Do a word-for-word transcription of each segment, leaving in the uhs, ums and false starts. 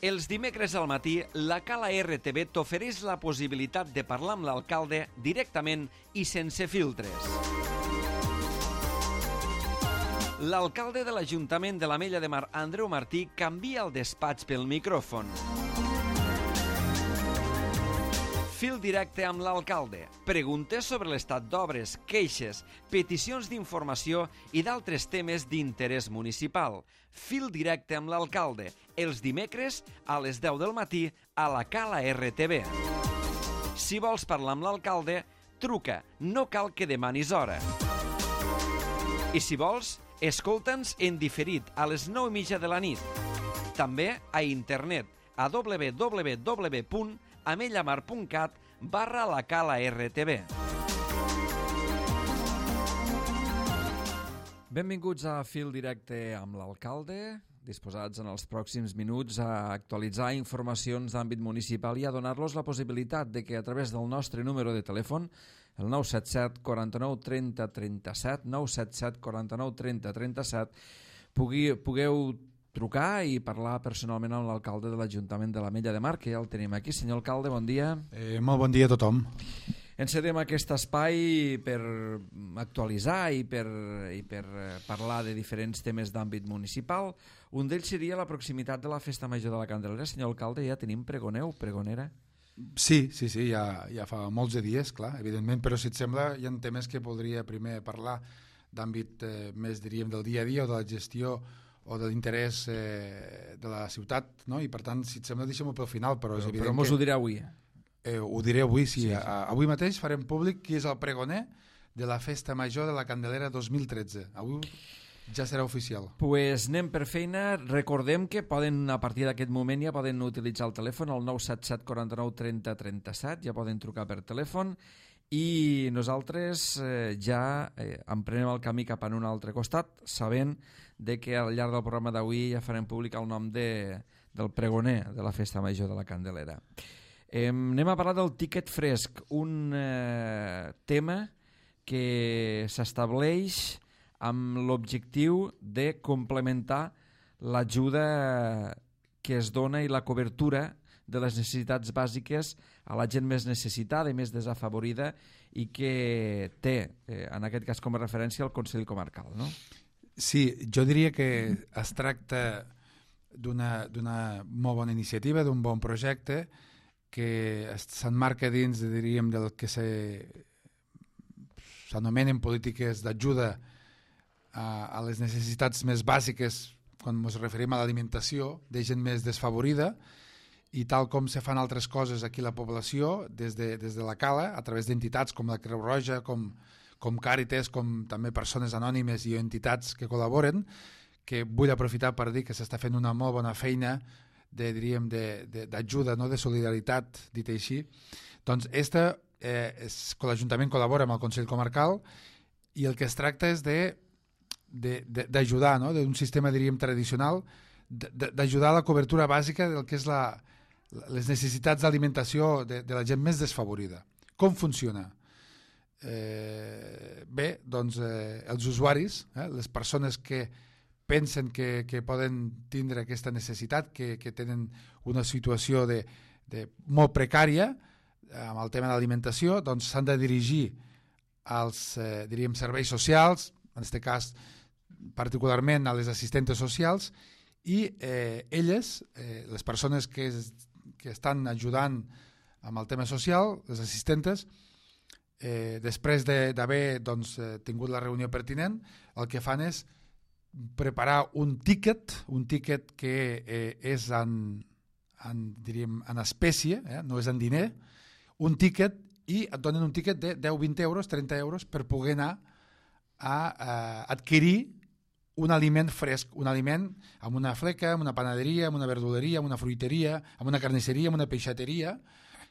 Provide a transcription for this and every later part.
Els dimecres al matí, la Cala R T V t'ofereix la possibilitat de parlar amb l'alcalde directament i sense filtres. L'alcalde de l'Ajuntament de l'Ametlla de Mar, Andreu Martí, canvia el despatx pel micròfon. Fil directe amb l'alcalde. Preguntes sobre l'estat d'obres, queixes, peticions d'informació i d'altres temes d'interès municipal. Fil directe amb l'alcalde. Els dimecres a les deu del matí a la Cala R T V. Si vols parlar amb l'alcalde, truca. No cal que demanis hora. I si vols, escolta'ns en diferit a les nou i mitja de la nit. També a internet a w w w punt amellamar punt cat barra la Cala R T V. Benvinguts a Fil Directe amb l'alcalde, disposats en els pròxims minuts a actualitzar informacions d'àmbit municipal i a donar-los la possibilitat de que a través del nostre número de telèfon, el nou set set quaranta-nou trenta trenta-set, nou set set quaranta-nou trenta trenta-set, pugui, pugueu trucar i parlar personalment amb l'alcalde de l'Ajuntament de l'Ametlla de Mar, que ja el tenim aquí. Senyor alcalde, bon dia. Eh, molt bon dia a tothom. Encedem aquest espai per actualitzar i per, i per parlar de diferents temes d'àmbit municipal. Un d'ells seria la proximitat de la Festa Major de la Candelera. Senyor alcalde, ja tenim pregoneu, pregonera? Sí, sí, sí, ja, ja fa molts de dies, clar, evidentment, però si et sembla hi ha temes que podria primer parlar d'àmbit eh, més, diríem, del dia a dia o de la gestió o de l'interès eh, de la ciutat, no? I per tant, si et sembla, deixem-ho pel final, però, però és evident però mos que... ho dirà avui. Eh, ho diré avui, sí. sí, sí. A, avui mateix farem públic qui és el pregoner de la Festa Major de la Candelera dos mil tretze. Avui ja serà oficial. Pues anem per feina. Recordem que poden, a partir d'aquest moment, ja poden utilitzar el telèfon, el nou set set quaranta-nou trenta trenta-set, ja poden trucar per telèfon, i nosaltres eh, ja eh, emprenem el camí cap en un altre costat, sabent de que al llarg del programa d'avui ja farem públic el nom de, del pregoner de la Festa Major de la Candelera. Eh, anem a parlar del tiquet fresc, un eh, tema que s'estableix amb l'objectiu de complementar l'ajuda que es dona i la cobertura de les necessitats bàsiques a la gent més necessitada i més desafavorida i que té, eh, en aquest cas com a referència, el Consell Comarcal, no? Sí, jo diria que es tracta d'una d'una molt bona iniciativa, d'un bon projecte que s'emmarca dins, diríem, del que s'anomenen polítiques d'ajuda a, a les necessitats més bàsiques quan ens referim a l'alimentació de gent més desfavorida, i tal com se fan altres coses aquí a la població, des de, des de la Cala, a través d'entitats com la Creu Roja, com, com Càritas, com també persones anònimes i entitats que col·laboren, que vull aprofitar per dir que s'està fent una molt bona feina de, diríem, d'ajuda, no? De solidaritat, dit així. Doncs esta, eh, és, l'Ajuntament col·labora amb el Consell Comarcal i el que es tracta és de d'ajudar, no? D'un sistema, diríem, tradicional, d'ajudar a la cobertura bàsica del que és la, les necessitats d'alimentació de, de la gent més desfavorida. Com funciona? Eh, bé, doncs eh, els usuaris, eh, les persones que pensen que, que poden tindre aquesta necessitat, que, que tenen una situació de, de molt precària amb el tema de l'alimentació, doncs s'han de dirigir als eh, diríem, serveis socials, en aquest cas particularment a les assistentes socials, i eh, elles, eh, les persones que, es, que estan ajudant amb el tema social, les assistentes, eh, després d'haver doncs, tingut la reunió pertinent, el que fan és preparar un tíquet, un tíquet que eh, és en, en, diríem, en espècie, eh, no és en diner, un tíquet, i et donen un tíquet de deu, vint euros, trenta euros per poder anar a, a adquirir un aliment fresc, un aliment amb una fleca, amb una panaderia, amb una verduleria, amb una fruiteria, amb una carnisseria, amb una peixateria,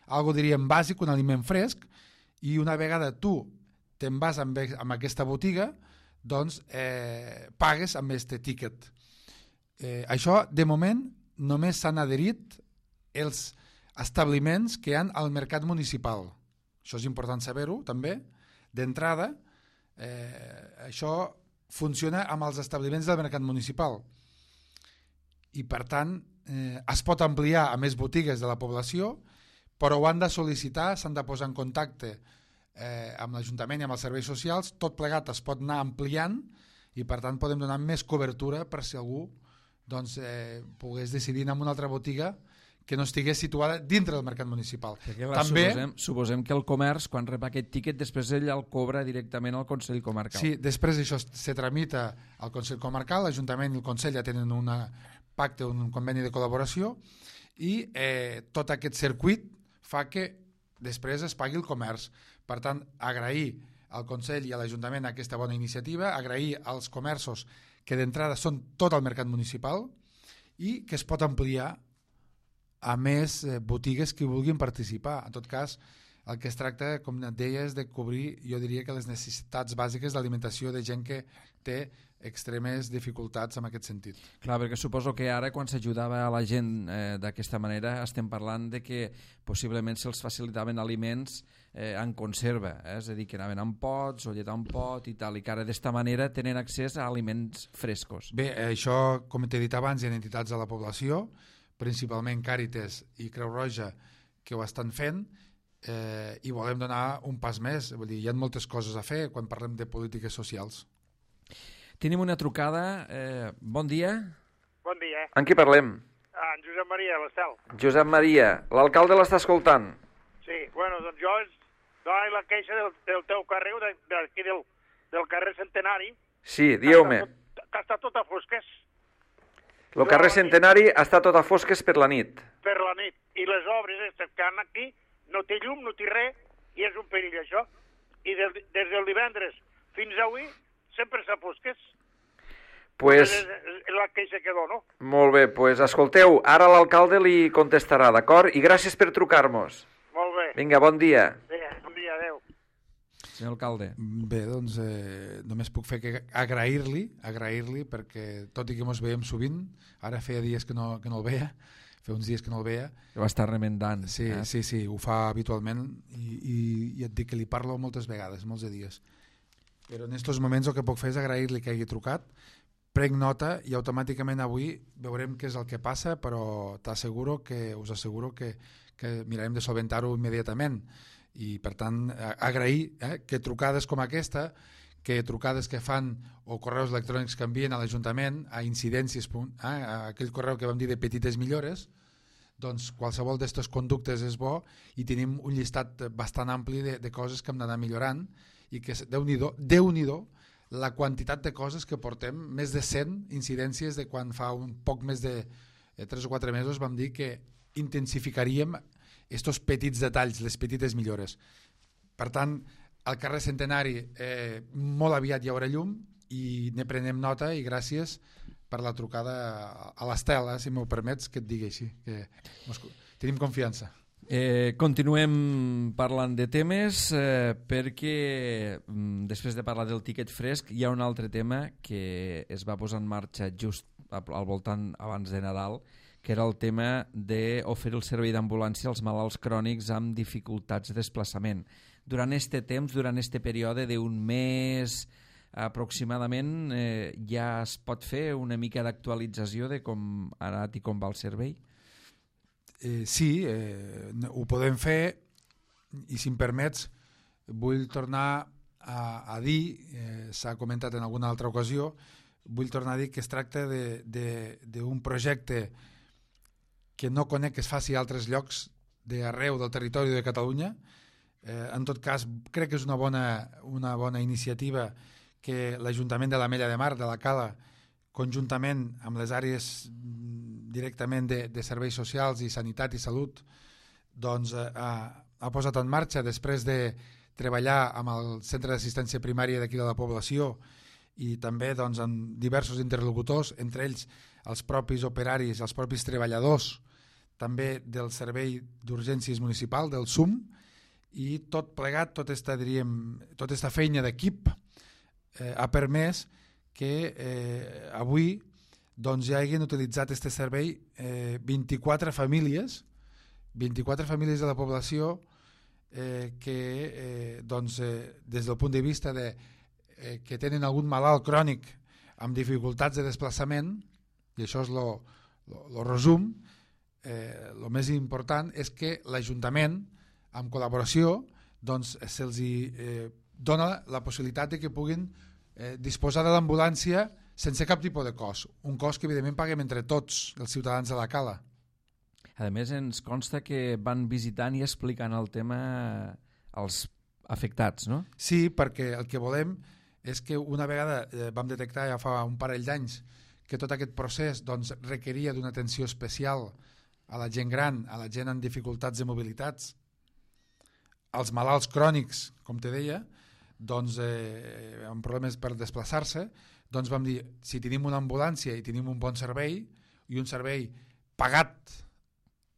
algo diríem bàsic, un aliment fresc, i una vegada tu te'n vas amb, amb aquesta botiga, doncs eh, pagues amb aquest tíquet. Eh, això, de moment, només s'han adherit els establiments que hi ha al mercat municipal. Això és important saber-ho, també. D'entrada, eh, això funciona amb els establiments del mercat municipal i per tant eh, es pot ampliar a més botigues de la població, però ho han de sol·licitar, s'han de posar en contacte eh, amb l'Ajuntament i amb els serveis socials, tot plegat es pot anar ampliant i per tant podem donar més cobertura per si algú doncs, eh, pogués decidir anar a una altra botiga que no estigués situada dintre del mercat municipal. Clar, També, suposem, suposem que el comerç, quan rep aquest tiquet, després ell el cobra directament al Consell Comarcal. Sí, després això se tramita al Consell Comarcal, l'Ajuntament i el Consell ja tenen un pacte, un conveni de col·laboració i eh, tot aquest circuit fa que després es pagui el comerç. Per tant, agrair al Consell i a l'Ajuntament aquesta bona iniciativa, agrair als comerços que d'entrada són tot el mercat municipal i que es pot ampliar a més eh, botigues que vulguin participar. En tot cas, el que es tracta, com et deia, és de cobrir, jo diria que les necessitats bàsiques d'alimentació de gent que té extremes dificultats en aquest sentit. Clar, perquè suposo que ara quan s'ajudava a la gent eh, d'aquesta manera estem parlant de que possiblement se'ls facilitaven aliments eh, en conserva, eh? És a dir, que anaven en pots o llet en pot i tal, i que ara d'esta manera tenen accés a aliments frescos. Bé, això, com t'he dit abans, hi ha entitats de la població, principalment Càritas i Creu Roja, que ho estan fent, eh, i volem donar un pas més. Vull dir, hi ha moltes coses a fer quan parlem de polítiques socials. Tenim una trucada. Eh, bon dia. Bon dia. En qui parlem? Ah, en Josep Maria, de l'Estel. Josep Maria. L'alcalde l'està escoltant. Sí, bueno, doncs jo és donar la queixa del, del teu carrer, d'aquí del, del carrer Centenari. Sí, dieu-me. Que està tot a fosques. El carrer Centenari està tot a fosques per la nit. Per la nit. I les obres aquestes que han aquí no té llum, no té res, i és un perill això. I des, des del divendres fins avui sempre s'ha fosques. Pues... És, és la queixa que dono. Molt bé, pues escolteu, ara l'alcalde li contestarà, d'acord? I gràcies per trucar-nos. Molt bé. Vinga, bon dia. Sí, bon dia, adeu. Senyor alcalde. Bé, doncs eh, només puc fer que agrair-li, agrair-li perquè tot i que ens veiem sovint, ara feia dies que no, que no el veia, feia uns dies que no el veia. Que va estar remendant. Sí, eh? sí, sí, ho fa habitualment i, i, i et dic que li parlo moltes vegades, molts de dies. Però en aquests moments el que puc fer és agrair-li que hagi trucat, prenc nota i automàticament avui veurem què és el que passa, però t'asseguro que, us asseguro que, que mirarem de solventar-ho immediatament. I per tant agrair eh, que trucades com aquesta, que trucades que fan o correus electrònics que envien a l'Ajuntament a incidències, eh, a aquell correu que vam dir de petites millores, doncs qualsevol d'aquestes conductes és bo i tenim un llistat bastant ampli de, de coses que hem d'anar millorant i que Déu-n'hi-do, Déu-n'hi-do la quantitat de coses que portem, més de cent incidències de quan fa un poc més de eh, tres o quatre mesos vam dir que intensificaríem estos petits detalls, les petites millores. Per tant, al carrer Centenari eh, molt aviat hi haurà llum i ne prenem nota i gràcies per la trucada a l'Estel, eh, si m'ho permets que et digui així, que tenim confiança. Eh, continuem parlant de temes eh, perquè mm, després de parlar del tiquet fresc hi ha un altre tema que es va posar en marxa just al voltant abans de Nadal, que era el tema d'oferir el servei d'ambulància als malalts crònics amb dificultats de desplaçament. Durant aquest temps, durant aquest període d'un mes aproximadament, eh, ja es pot fer una mica d'actualització de com ha anat i com va el servei? Eh, sí, eh, ho podem fer i si em permets vull tornar a, a dir, eh, s'ha comentat en alguna altra ocasió, vull tornar a dir que es tracta d'un projecte que no conec que es faci a altres llocs d'arreu del territori de Catalunya. Eh, en tot cas, crec que és una bona, una bona iniciativa que l'Ajuntament de l'Ametlla de Mar, de la Cala, conjuntament amb les àrees directament de, de serveis socials i sanitat i salut, doncs, eh, ha, ha posat en marxa després de treballar amb el centre d'assistència primària d'aquí de la població i també doncs, amb diversos interlocutors, entre ells els propis operaris, els propis treballadors, també del Servei d'Urgències Municipal, del S U M, i tot plegat, tota esta, diríem, tota esta feina d'equip eh, ha permès que eh, avui doncs, ja hagin utilitzat aquest servei eh, vint-i-quatre famílies, vint-i-quatre famílies de la població eh, que eh, doncs, eh, des del punt de vista de, eh, que tenen algun malalt crònic amb dificultats de desplaçament, i això és lo, el resum, eh, el més important és que l'Ajuntament, amb col·laboració, doncs, se'ls eh, dona la possibilitat de que puguin eh, disposar de l'ambulància sense cap tipus de cost. Un cost que, evidentment, paguem entre tots els ciutadans de la Cala. A més, ens consta que van visitant i explicant el tema als afectats, no? Sí, perquè el que volem és que una vegada eh, vam detectar ja fa un parell d'anys que tot aquest procés doncs, requeria d'una atenció especial a la gent gran, a la gent amb dificultats de mobilitats, als malalts crònics, com te deia, doncs, eh, amb problemes per desplaçar-se, doncs vam dir, si tenim una ambulància i tenim un bon servei, i un servei pagat,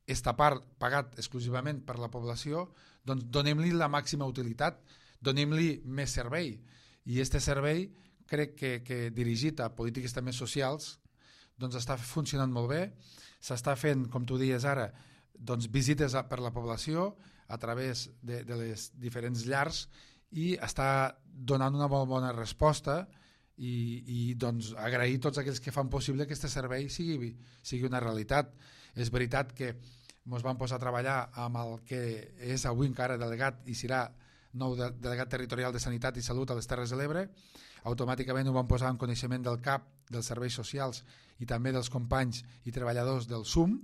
esta part pagat exclusivament per la població, doncs donem-li la màxima utilitat, donem-li més servei. I aquest servei, crec que, que dirigit a polítiques també socials, doncs està funcionant molt bé, s'està fent, com tu dies ara, doncs visites per la població, a través de, de les diferents llars i està donant una molt bona resposta i, i doncs, agrair tots aquells que fan possible que aquest servei sigui, sigui una realitat. És veritat que ens vam posar a treballar amb el que és avui encara delegat i serà nou de, delegat territorial de Sanitat i Salut a les Terres de l'Ebre. Automàticament ho vam posar en coneixement del C A P, dels serveis socials i també dels companys i treballadors del S U M,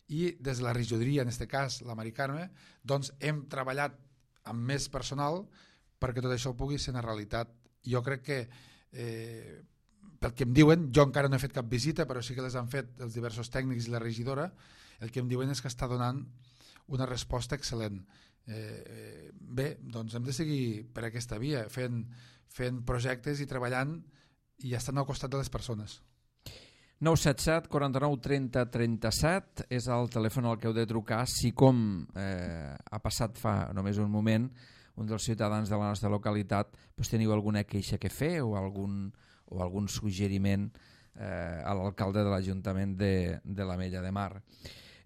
i des de la regidoria, en aquest cas la Mari Carme, doncs hem treballat amb més personal perquè tot això pugui ser una realitat. Jo crec que, eh, pel que em diuen, jo encara no he fet cap visita, però sí que les han fet els diversos tècnics i la regidora, el que em diuen és que està donant una resposta excel·lent. Eh, bé, doncs hem de seguir per aquesta via, fent, fent projectes i treballant i estant al costat de les persones. nou set set, quaranta-nou, trenta, trenta-set és el telèfon al que heu de trucar si, com eh, ha passat fa només un moment, un dels ciutadans de la nostra localitat doncs teniu alguna queixa que fer o algun, o algun suggeriment eh, a l'alcalde de l'Ajuntament de, de l'Ametlla de Mar.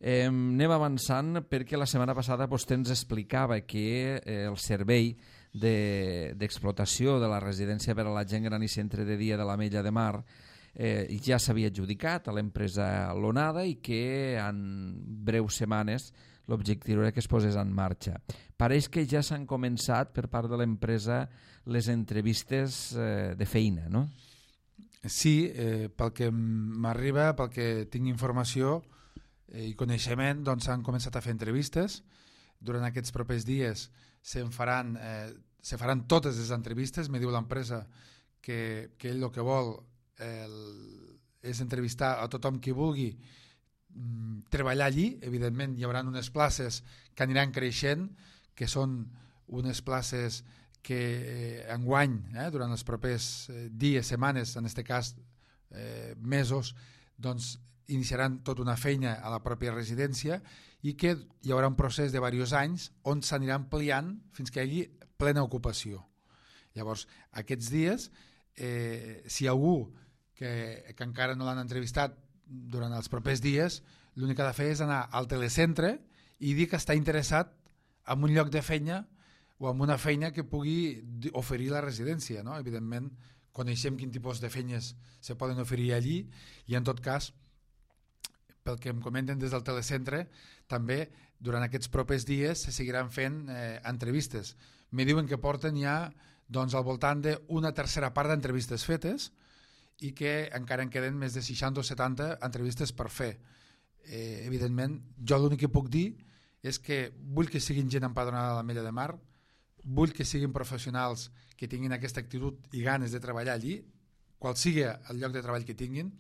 Eh, anem avançant perquè la setmana passada vostè ens explicava que eh, el servei d'explotació de, de la residència per a la gent gran i centre de dia de l'Ametlla de Mar Eh, ja s'havia adjudicat a l'empresa Lonada i que en breus setmanes l'objectiu era que es posés en marxa. Pareix que ja s'han començat per part de l'empresa les entrevistes eh, de feina, no? Sí, eh, pel que m'arriba, pel que tinc informació eh, i coneixement, doncs s'han començat a fer entrevistes. Durant aquests propers dies se'n faran, eh, se faran totes les entrevistes. Me diu l'empresa que, que ell el que vol El, és entrevistar a tothom qui vulgui mm, treballar allí. Evidentment hi haurà unes places que aniran creixent, que són unes places que eh, enguany, eh, durant els propers eh, dies, setmanes, en aquest cas eh, mesos, doncs iniciaran tota una feina a la pròpia residència i que hi haurà un procés de diversos anys on s'anirà ampliant fins que hi hagi plena ocupació. Llavors, aquests dies, eh, si algú que, que encara no l'han entrevistat durant els propers dies, l'únic que ha de fer és anar al telecentre i dir que està interessat en un lloc de feina o en una feina que pugui oferir la residència, no? Evidentment, coneixem quin tipus de feines se poden oferir allí i, en tot cas, pel que em comenten des del telecentre, també durant aquests propers dies se seguiran fent eh, entrevistes. Me diuen que porten ja doncs, al voltant d'una tercera part d'entrevistes fetes i que encara en queden més de seixanta o setanta entrevistes per fer. Eh, evidentment, jo l'únic que puc dir és que vull que siguin gent empadronada a l'Ametlla de Mar, vull que siguin professionals que tinguin aquesta actitud i ganes de treballar allí, qual sigui el lloc de treball que tinguin,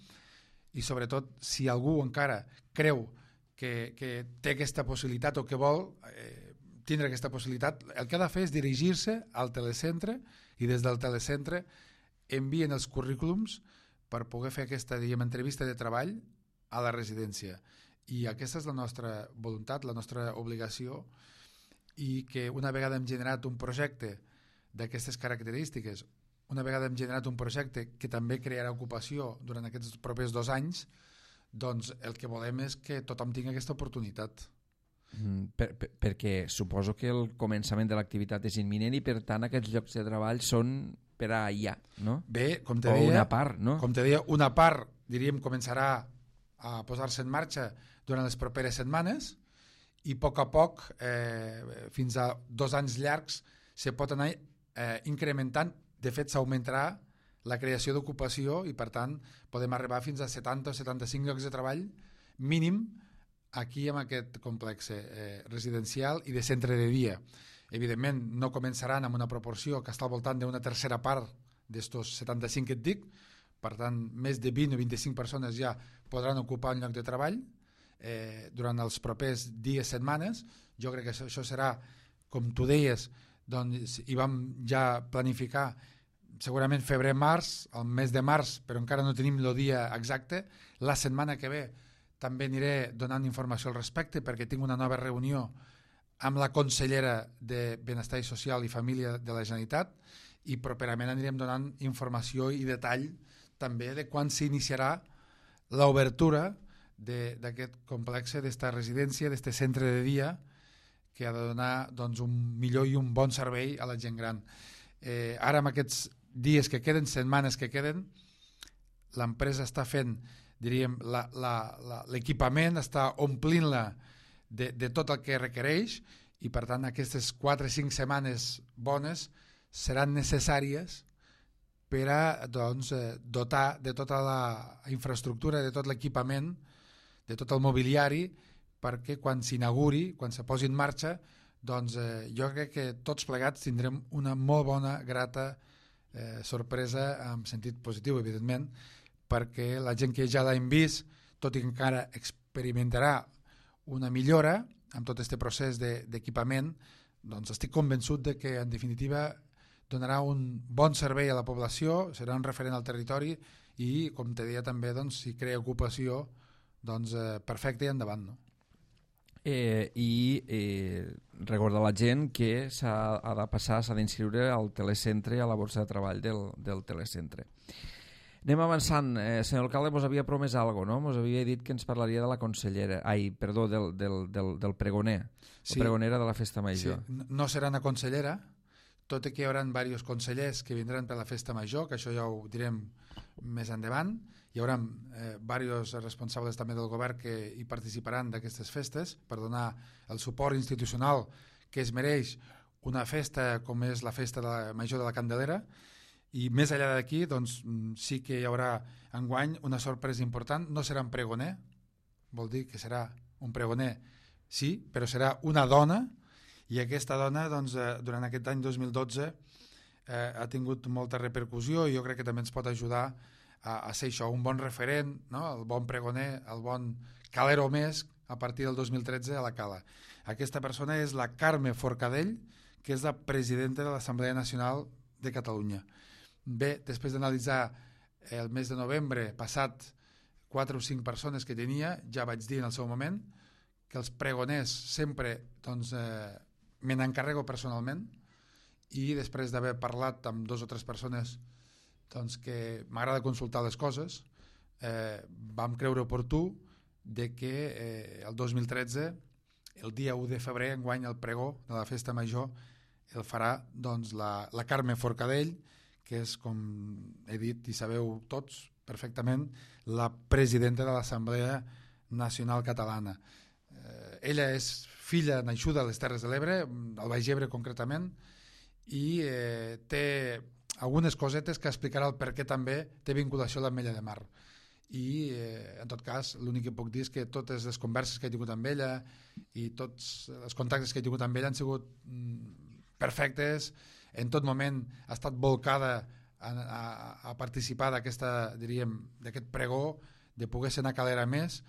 i sobretot, si algú encara creu que, que té aquesta possibilitat o que vol eh, tindre aquesta possibilitat, el que ha de fer és dirigir-se al telecentre i des del telecentre envien els currículums per poder fer aquesta, diguem, entrevista de treball a la residència. I aquesta és la nostra voluntat, la nostra obligació, i que una vegada hem generat un projecte d'aquestes característiques, una vegada hem generat un projecte que també crearà ocupació durant aquests propers dos anys, doncs el que volem és que tothom tingui aquesta oportunitat. Mm, per, per, perquè suposo que el començament de l'activitat és imminent i per tant aquests llocs de treball són per allà, no? Bé, com te o deia, una part, no? Com te deia, una part, diríem, començarà a posar-se en marxa durant les properes setmanes i a poc a poc, eh, fins a dos anys llargs, se pot anar eh, incrementant. De fet, s'augmentarà la creació d'ocupació i, per tant, podem arribar fins a setanta o setanta-cinc llocs de treball mínim aquí en aquest complex eh, residencial i de centre de dia. Evidentment, no començaran amb una proporció que està al voltant d'una tercera part d'estos setanta-cinc que et dic, per tant, més de vint o vint-i-cinc persones ja podran ocupar un lloc de treball eh, durant els propers dies, setmanes. Jo crec que això, això serà, com tu deies, doncs hi vam ja planificar segurament febrer-març, el mes de març, però encara no tenim el dia exacte. La setmana que ve també aniré donant informació al respecte perquè tinc una nova reunió amb la consellera de Benestar i Social i Família de la Generalitat i properament anirem donant informació i detall també de quan s'iniciarà l'obertura d'aquest complex, d'esta residència, d'este centre de dia que ha de donar doncs, un millor i un bon servei a la gent gran. Eh, ara, en aquests dies que queden, setmanes que queden, l'empresa està fent, diríem, l'equipament, està omplint-la de, de tot el que requereix i, per tant, aquestes quatre o cinc setmanes bones seran necessàries per a doncs, dotar de tota la infraestructura, de tot l'equipament, de tot el mobiliari, perquè quan s'inauguri, quan se posi en marxa, doncs eh, jo crec que tots plegats tindrem una molt bona, grata eh, sorpresa, en sentit positiu, evidentment, perquè la gent que ja l'hem vist, tot i que encara experimentarà una millora amb tot aquest procés d'equipament, doncs estic convençut de que, en definitiva, donarà un bon servei a la població, serà un referent al territori i, com te deia també, doncs, si crea ocupació, doncs eh, perfecte i endavant, no? Eh, i eh, recordar a la gent que s'ha ha de passar, s'ha d'inscriure al telecentre, a la borsa de treball del, del telecentre. Anem avançant. Eh, senyor alcalde, mos havia promès alguna cosa, no? Mos havia dit que ens parlaria de la consellera, ai, perdó, del, del, del, del pregoner, sí. La pregonera de la Festa Major. Sí. No serà una consellera, tot i que hi haurà diversos consellers que vindran per la Festa Major, que això ja ho direm més endavant. Hi haurà eh, diversos responsables també del govern que hi participaran d'aquestes festes per donar el suport institucional que es mereix una festa com és la Festa de la Major de la Candelera. I més enllà d'aquí, doncs, sí que hi haurà enguany una sorpresa important. No serà un pregoner, vol dir que serà un pregoner, sí, però serà una dona, i aquesta dona, doncs, eh, durant aquest any dos mil dotze eh, ha tingut molta repercussió i jo crec que també ens pot ajudar a, a ser això, un bon referent, no? El bon pregoner, el bon calero més a partir del dos mil tretze a la Cala. Aquesta persona és la Carme Forcadell, que és la presidenta de l'Assemblea Nacional de Catalunya. Bé, després d'analitzar el mes de novembre passat quatre o cinc persones que tenia, ja vaig dir en el seu moment que els pregoners sempre doncs, eh, me n'encarrego personalment i després d'haver parlat amb dos o tres persones doncs, que m'agrada consultar les coses, eh, vam creure oportú de que eh, el dos mil tretze, el dia u de febrer, enguany el pregó de la Festa Major el farà doncs, la, la Carme Forcadell, que és, com he dit i sabeu tots perfectament, la presidenta de l'Assemblea Nacional Catalana. Eh, ella és filla naixuda a les Terres de l'Ebre, al Baix Ebre concretament, i eh, té algunes cosetes que explicarà el per què també té vinculació a l'Ametlla de Mar. I, eh, en tot cas, l'únic que puc dir és que totes les converses que he tingut amb ella i tots els contactes que he tingut amb ella han sigut mm, perfectes. En tot moment ha estat volcada a, a, a participar d'aquesta, diríem, d'aquest pregó, de poder ser una calera més,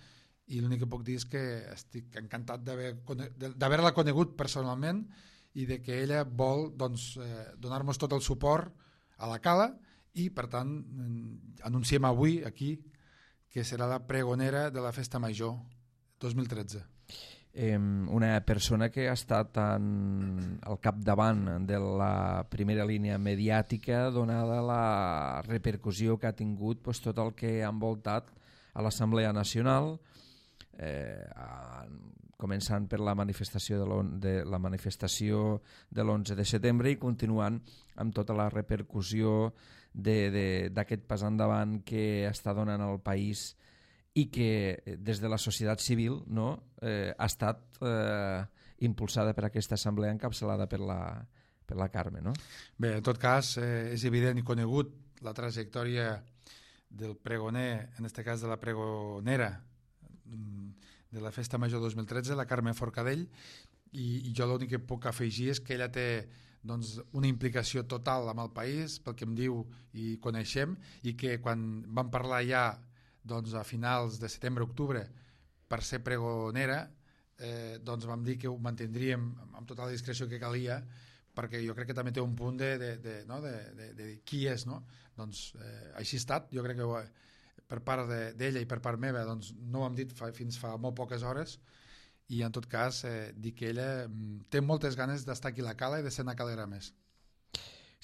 i l'únic que puc dir és que estic encantat d'haver-la conegut personalment i de que ella vol doncs, eh, donar-nos tot el suport a la Cala i, per tant, anunciem avui aquí que serà la pregonera de la Festa Major dos mil tretze. Eh, una persona que ha estat en, al capdavant de la primera línia mediàtica donada la repercussió que ha tingut pues, tot el que ha envoltat a l'Assemblea Nacional, eh, a, començant per la manifestació de, de la manifestació de l'onze de setembre i continuant amb tota la repercussió d'aquest pas endavant que està donant al país i que des de la societat civil, no, eh, ha estat eh, impulsada per aquesta assemblea encapçalada per la, per la Carme. No? Bé, en tot cas, eh, és evident i conegut la trajectòria del pregoner, en aquest cas de la pregonera de la Festa Major dos mil tretze, la Carme Forcadell, i, i jo l'únic que puc afegir és que ella té doncs, una implicació total amb el país, pel que em diu i coneixem, i que quan vam parlar ja doncs, a finals de setembre-octubre per ser pregonera, eh, doncs vam dir que ho mantindríem amb tota la discreció que calia, perquè jo crec que també té un punt de, de, de, no? de, de, de qui és, no? Doncs eh, així ha estat, jo crec que ho, per part d'ella i per part meva doncs, no ho hem dit fa, fins fa molt poques hores, i en tot cas eh, dir que ella mm, té moltes ganes d'estar aquí a la Cala i de ser una calera més.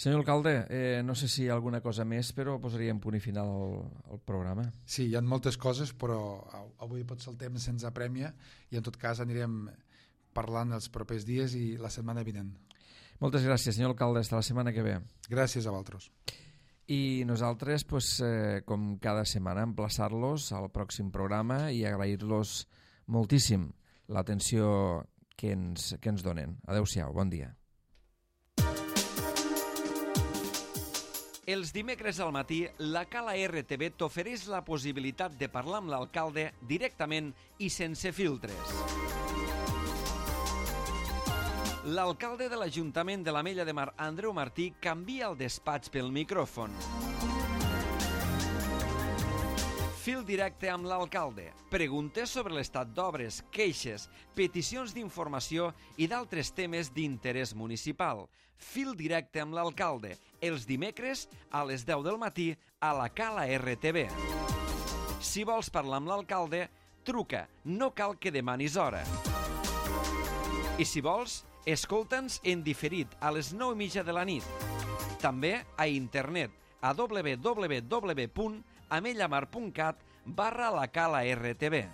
Senyor alcalde, eh, no sé si hi ha alguna cosa més, però posaríem punt i final al, al programa. Sí, hi ha moltes coses, però avui potser el temps se'ns apremia i en tot cas anirem parlant els propers dies i la setmana vinent. Moltes gràcies, senyor alcalde. Fins la setmana que ve. Gràcies a vosaltres. I nosaltres, pues, eh, com cada setmana, emplaçar-los al pròxim programa i agrair-los moltíssim l'atenció que ens, que ens donen. Adéu-siau, bon dia. Els dimecres al matí, la Cala R T V t'ofereix la possibilitat de parlar amb l'alcalde directament i sense filtres. L'alcalde de l'Ajuntament de l'Ametlla de Mar, Andreu Martí, canvia el despatx pel micròfon. Fil directe amb l'alcalde. Preguntes sobre l'estat d'obres, queixes, peticions d'informació i d'altres temes d'interès municipal. Fil directe amb l'alcalde. Els dimecres a les deu del matí a la Cala R T V. Si vols parlar amb l'alcalde, truca. No cal que demanis hora. I si vols, escolta'ns en diferit a les nou i mitja de la nit. També a internet a w w w punt amellamar punt cat barra la Cala R T V.